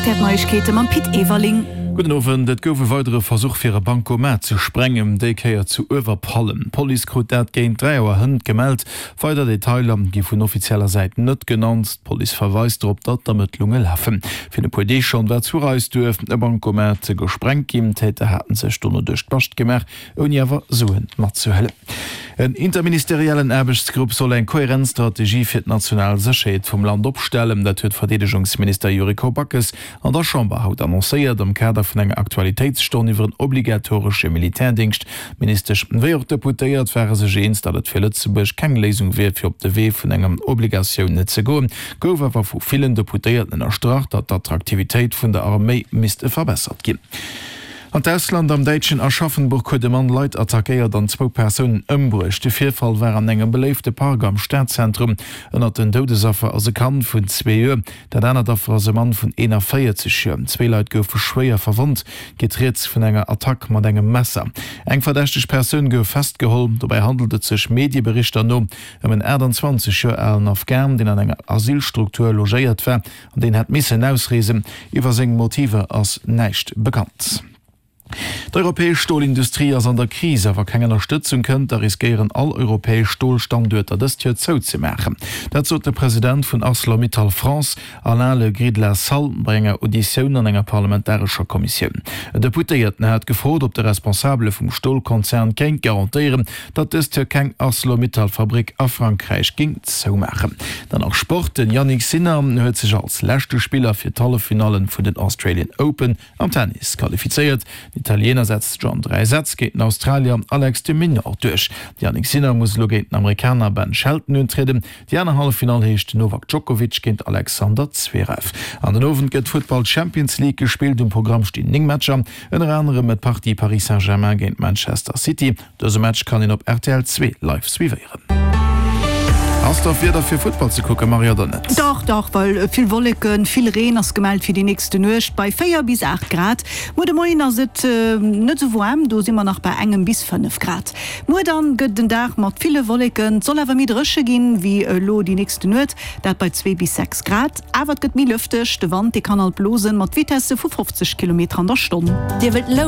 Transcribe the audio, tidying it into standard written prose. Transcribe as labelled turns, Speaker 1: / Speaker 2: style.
Speaker 1: Zäit fir d'Neiegkeete mam Pit Everling.
Speaker 2: Gudden Owend. Et gouf e weidere Versuch fir e Bancomat ze sprengen, déi Kéier zu Uewerpallen. D'Police krut dat géint 3 Auer hënt gemellt. Weider Detailer gi vun offizieller Säit net genannt. D'Police verweist drop, datt d'Ermëttlunge lafen. Virun e puer Deeg schonn war zu Reisduerf e Bancomat gesprengt ginn. D'Täter haten sech dono duerch d'Bascht gemaach. ouni awer Suen matzehuelen. En interministeriellen Aarbechtsgrupp soll eng kohärent Strategie fir d'national Sécherheet vum Land opstellen. Dat huet Verdeedegungsminister Yuriko Backes an der Chamber haut annoncéiert, am Kader vun enger Aktualitéitsstonn iwwer en obligatoresche Militärdéngscht. D'Ministesch wéi och d'Deputéiert ware sech eens, datt et fir Lëtzebuerg keng Léisung wier, fir op de Wee vun enger Obligatioun ze goen. Gouf awer vu villen Deputéierten ënnerstrach, datt d'Attraktivitéit vun der Arméi misst verbessert ginn. An d'Ausland, Am däitschen Aschaffenburg huet e Mann Leit attackéiert an zwou Persounen ëmbruecht. De Virfall war an engem beléifte Park am Stadzentrum. Ënnert den Doudesaffer ass e Kand vun zwee Joer. Dat anert Affer ass e Mann vun 41 Joer. Zwee Leit goufe schwéier verwonnt. Geet rieds vun enger Attack mat engem Messer. Eng verdächteg Persoun gouf festgeholl. Dobäi handelt et sech Medieberichter no ëm en 28 Joer alen Afghan, deen an enger Asylstruktur logéiert war. An deen hätt missen ausreesen. Iwwer seng Motiver ass näischt bekannt. D'europäesch Stolindustrie ass an der Kris a wa keng Ënnerstëtzung kënnt, da riskéieren all europäesch Stolstanduerter dëst Joer zouzemaachen. Dat sot de President vun Arcelor-Mittal France, Alain Le Gris de la Salle, bei enger Auditioun an enger parlamentarescher Kommissioun. En Deputéierten hat gefrot, ob de Responsabele vum Stolkonzern kéint garantéieren, datt dëst Joer keng Arcelor-Mittal-Fabrick a Frankräich géing zoumaachen. Dann nach Sport, Den Jannik Sinner huet sech als leschte Spiller fir d'Halleffinallen vun den Australian Open am Tennis qualifizéiert. Den Italiener setzt sech an 3 Sätz géint den Australier Alex de Minaur duerch. De Jannik Sinner muss elo géint den Amerikaner Ben Shelton untrieden. Déi aner Halleffinall heescht Novak Djokovic géint Alexander Zverev. An den Owend gëtt d'Futtball Champions League gespillt. Um Programm stinn 9 Matcher, ënner anerem d'Partie Paris Saint-Germain géint Manchester City. Dëse Match kann een op rtl 2 live suivéieren. Ass da Wieder fir Futtball ze kucken, Marie, oder net?
Speaker 1: Dach, dach, well vill Wolleken, vill Reen ass gemellt fir déi nächste Nuecht bei 4 bis 8 Grad. Muer de Moien ass et net esou waarm, do si mer nach bei engem bis 5 Grad. Muer dann gëtt et en Dag mat ville Wolleken, et soll awer méi dréche ginn wéi elo déi nächste Nuet, dat bei 2 bis 6 Grad. Awer et gëtt méi lëfteg, de Wand dee kann alt blosen mat Vitesse vu 50 Kilometer an der Stonn.
Speaker 3: Dir wëllt lounen?